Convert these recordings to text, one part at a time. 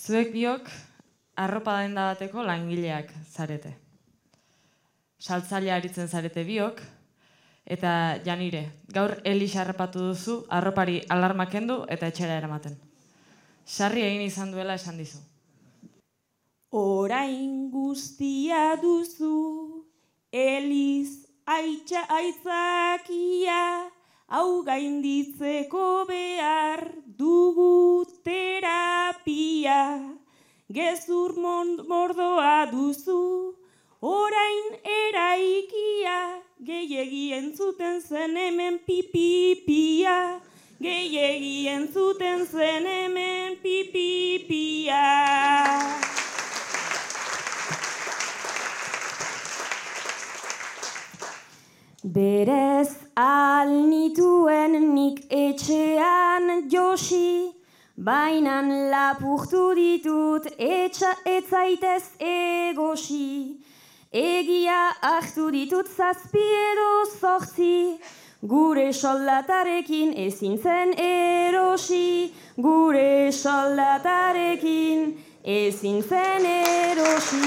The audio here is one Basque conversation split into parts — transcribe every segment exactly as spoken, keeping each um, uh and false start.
Zuek biok arropa denda bateko langileak zarete. Saltzaile aritzen zarete biok, eta Janire, gaur Elix harrapatu duzu, arropari alarma kendu eta etxera eramaten. Sarri egin izan duela esan dizu. Orain guztia duzu, Elix aitza aitzakia, hau gainditzeko behar dugu terapia. Gezur mordoa duzu, orain eraikia, gehiegi entzuten zen hemen pipipia, gehiegi entzuten zen hemen pipipia. Berez alnituen nik etxean josi, bainan lapurtu ditut etxa etzaitez egosi. Egia hartu ditut zazpi edo zortzi, gure soldatarekin ezin zen erosi, gure soldatarekin ezin zen erosi.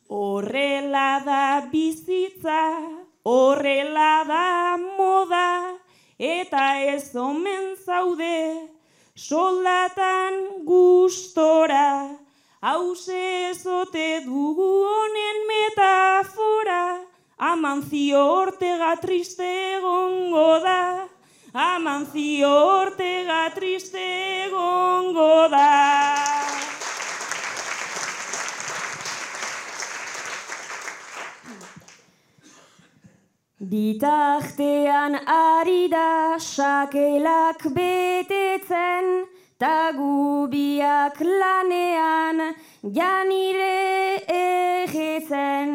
Horrela da bizitza, horrela da moda, eta ez omen zaude soldatan gustora. Hauze ezote dugu honen metafora, Amancio Ortega triste egongo da, Amancio Ortega triste egongo da. Bitartean ari da sakelak betetzen, ta gubiak lanean Janire egetzen.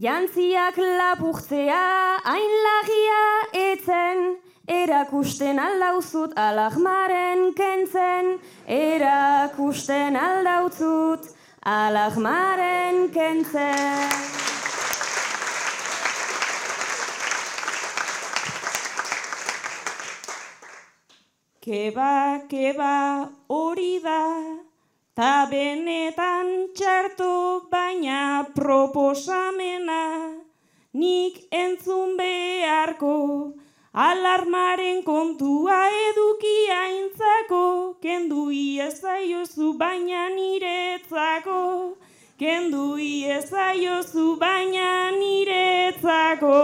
Jantziak lapurtzea hain lagia etzen, erakusten aldauzut alahmaren kentzen, erakusten aldautzut alahmaren kentzen. Keba, keba hori da, ta benetan txarto baina proposamena, nik entzun beharko, alarmaren kontua edukia intzako, kendu iezaiozu baina niretzako, kendu iezaiozu baina niretzako.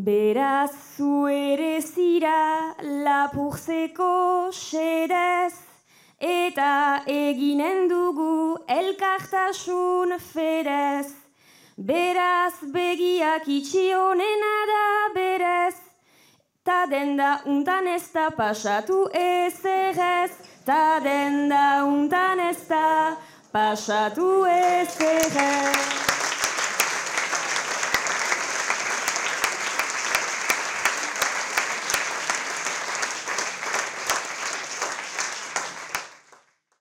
Beraz zu ere zira lapurtzeko xedez, eta eginen dugu elkartasun fedez. Beraz begiak itxi honena da berez, ta denda untan ez da pasatu ezerrez, ta denda untan ez da pasatu ezerrez.